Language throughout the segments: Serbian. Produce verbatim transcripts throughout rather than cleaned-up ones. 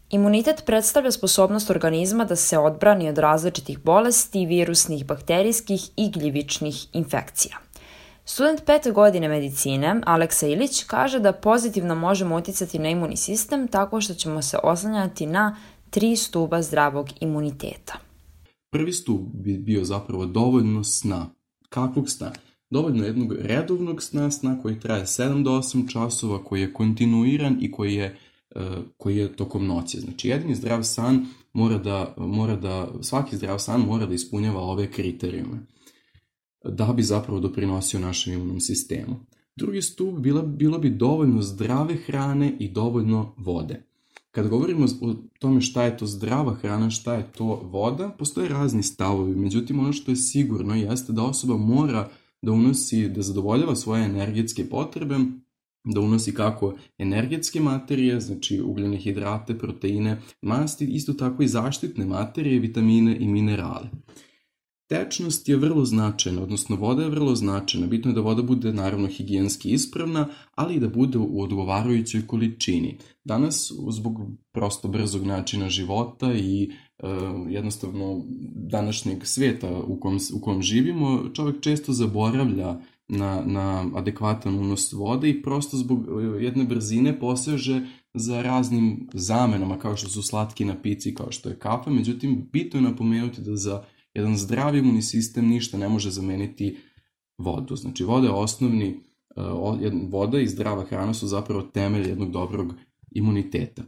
Imunitet predstavlja sposobnost organizma da se odbrani od različitih bolesti, virusnih, bakterijskih i gljivičnih infekcija. Student pete godine medicine, Aleksa Ilić, kaže da pozitivno možemo uticati na imunni sistem tako što ćemo se oslanjati na tri stuba zdravog imuniteta. Prvi stup bi bio zapravo dovoljno sna. Kakvog sna? Dovoljno jednog redovnog sna, sna koji traje sedam do osam časova, koji je kontinuiran i koji je, uh, koji je tokom noći. Znači, jedini zdrav san mora da, mora da, svaki zdrav san mora da ispunjava ove kriterijume da bi zapravo doprinosio našem imunnom sistemu. Drugi stup bilo, bilo bi dovoljno zdrave hrane i dovoljno vode. Kad govorimo o tome šta je to zdrava hrana, šta je to voda, postoje razni stavovi. Međutim, ono što je sigurno jeste da osoba mora da unosi, da zadovoljava svoje energetske potrebe, da unosi kako energetske materije, znači ugljene hidrate, proteine, masti, isto tako i zaštitne materije, vitamine i minerale. Tečnost je vrlo značajna, odnosno voda je vrlo značajna. Bitno je da voda bude naravno higijenski ispravna, ali i da bude u odgovarajućoj količini. Danas, zbog prosto brzog načina života i e, jednostavno današnjeg sveta u kom, u kom živimo, čovjek često zaboravlja na, na adekvatan unos vode i prosto zbog jedne brzine poseže za raznim zamenama kao što su slatki napici, kao što je kafa. Međutim, bitno je napomenuti da za jedan zdrav imunni sistem ništa ne može zameniti vodu. Znači, voda je osnovni, voda i zdrava hrana su zapravo temelj jednog dobrog imuniteta.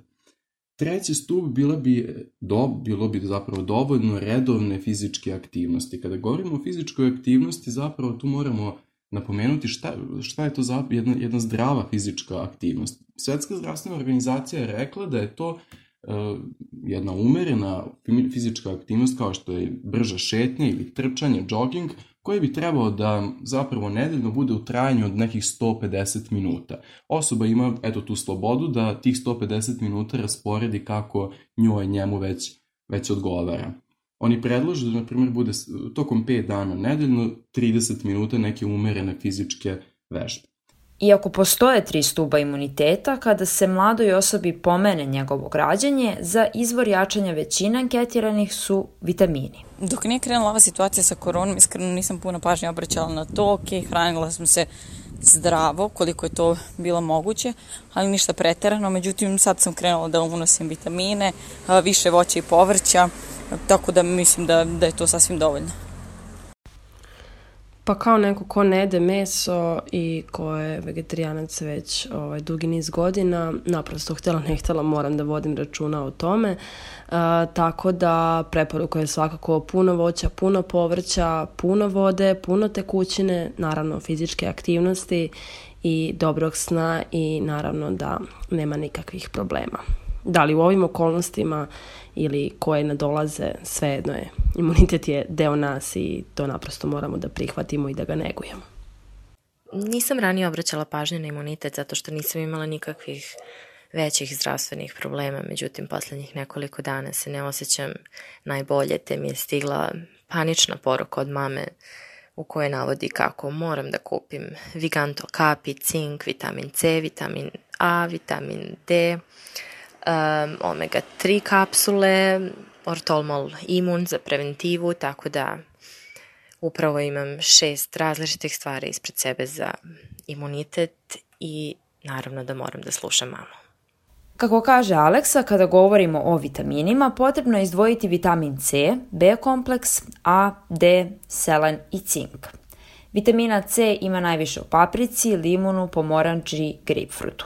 Treći stup bila bi, do, bilo bi zapravo dovoljno redovne fizičke aktivnosti. Kada govorimo o fizičkoj aktivnosti, zapravo tu moramo napomenuti šta, šta je to za jedna, jedna zdrava fizička aktivnost. Svetska zdravstvena organizacija je rekla da je to jedna umerena fizička aktivnost kao što je brža šetnja ili trčanje, jogging, koji bi trebao da zapravo nedeljno bude u trajanju od nekih sto pedeset minuta. Osoba ima eto tu slobodu da tih sto pedeset minuta rasporedi kako njoj njemu već, već odgovara. Oni predlažu da, na primjer, bude tokom pet dana nedeljno trideset minuta neke umerene fizičke vežbe. Iako postoje tri stuba imuniteta, kada se mladoj osobi pomene njegovo građenje, za izvor jačanja većine anketiranih su vitamini. Dok nije krenula ova situacija sa koronom, iskreno nisam puno pažnje obraćala na to. Ok, hranila sam se zdravo, koliko je to bilo moguće, ali ništa preterano. Međutim, sad sam krenula da unosim vitamine, više voća i povrća, tako da mislim da, da je to sasvim dovoljno. Pa kao neko ko ne jede meso i ko je vegetarijanac već ovaj, dugi niz godina, naprosto htjela ne htjela moram da vodim računa o tome. Uh, tako da preporuka je svakako puno voća, puno povrća, puno vode, puno tekućine, naravno fizičke aktivnosti i dobrog sna i naravno da nema nikakvih problema. Da li u ovim okolnostima ili koje nadolaze, svejedno je. Imunitet je deo nas i to naprosto moramo da prihvatimo i da ga negujemo. Nisam ranije obraćala pažnju na imunitet zato što nisam imala nikakvih većih zdravstvenih problema, međutim posljednjih nekoliko dana se ne osjećam najbolje, te mi je stigla panična poruka od mame u kojoj navodi kako moram da kupim Viganto kapi, cink, vitamin C, vitamin A, vitamin D, Um, omega tri kapsule, ortolmol imun za preventivu, tako da upravo imam šest različitih stvari ispred sebe za imunitet i naravno da moram da slušam mamu. Kako kaže Aleksa, kada govorimo o vitaminima, potrebno je izdvojiti vitamin C, B kompleks, A, D, selen i cink. Vitamina C ima najviše u paprici, limunu, pomoranđi, grejpfrutu.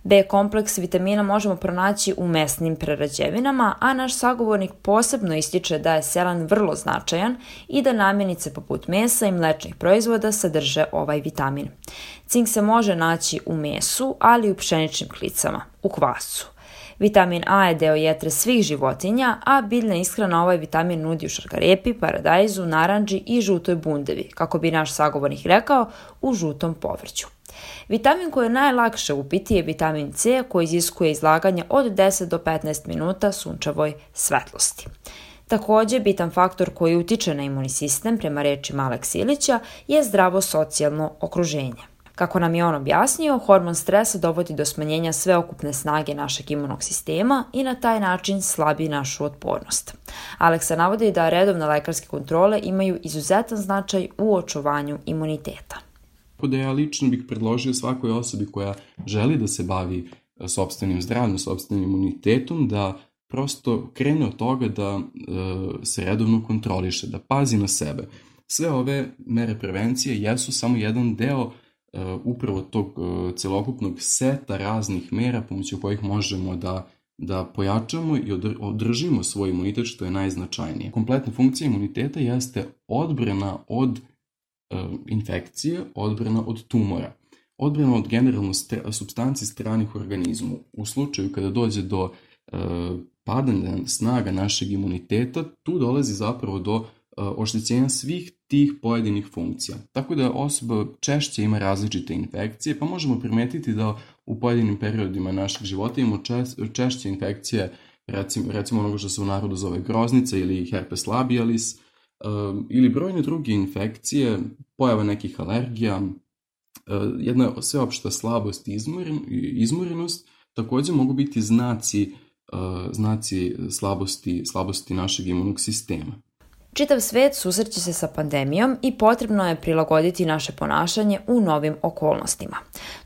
B kompleks vitamina možemo pronaći u mesnim prerađevinama, a naš sagovornik posebno ističe da je selen vrlo značajan i da namirnice poput mesa i mlečnih proizvoda sadrže ovaj vitamin. Cink se može naći u mesu, ali i u pšeničnim klicama, u kvasu. Vitamin A je deo jetre svih životinja, a biljna ishrana ovaj vitamin nudi u šargarepi, paradajzu, naranđi i žutoj bundevi, kako bi naš sagovornik rekao, u žutom povrću. Vitamin koji je najlakše upiti je vitamin C, koji iziskuje izlaganje od deset do petnaest minuta sunčevoj svetlosti. Također, bitan faktor koji utiče na imunni sistem, prema rečima Alekse Ilića, je zdravo socijalno okruženje. Kako nam je on objasnio, hormon stresa dovodi do smanjenja sveokupne snage našeg imunog sistema i na taj način slabi našu otpornost. Aleksa navodi da redovne lekarske kontrole imaju izuzetan značaj u očuvanju imuniteta. Da ja lično bih predložio svakoj osobi koja želi da se bavi sopstvenim zdravljem, sopstvenim imunitetom, da prosto krene od toga da e, se redovno kontroliše, da pazi na sebe. Sve ove mere prevencije jesu samo jedan deo e, upravo tog e, celokupnog seta raznih mera pomoću kojih možemo da, da pojačamo i održimo svoj imunitet, što je najznačajnije. Kompletna funkcija imuniteta jeste odbrana od e, infekcije, odbrana od tumora, odbrana od generalno stra, supstanci stranih u organizmu. U slučaju kada dođe do e, padanja snaga našeg imuniteta, tu dolazi zapravo do uh, oštećenja svih tih pojedinih funkcija. Tako da osoba češće ima različite infekcije, pa možemo primetiti da u pojedinim periodima našeg života imamo češ, češće infekcije, recimo, recimo onoga što se u narodu zove groznica ili herpes labialis, uh, ili brojne druge infekcije, pojava nekih alergija, uh, jedna sveopšta slabost i izmoren, izmorenost, također mogu biti znaci znaci slabosti, slabosti našeg imunog sistema. Čitav svet susreće se sa pandemijom i potrebno je prilagoditi naše ponašanje u novim okolnostima.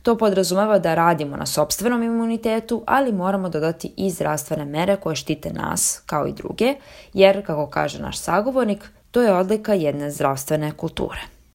To podrazumeva da radimo na sopstvenom imunitetu, ali moramo dodati i zdravstvene mere koje štite nas, kao i druge, jer, kako kaže naš sagovornik, to je odlika jedne zdravstvene kulture.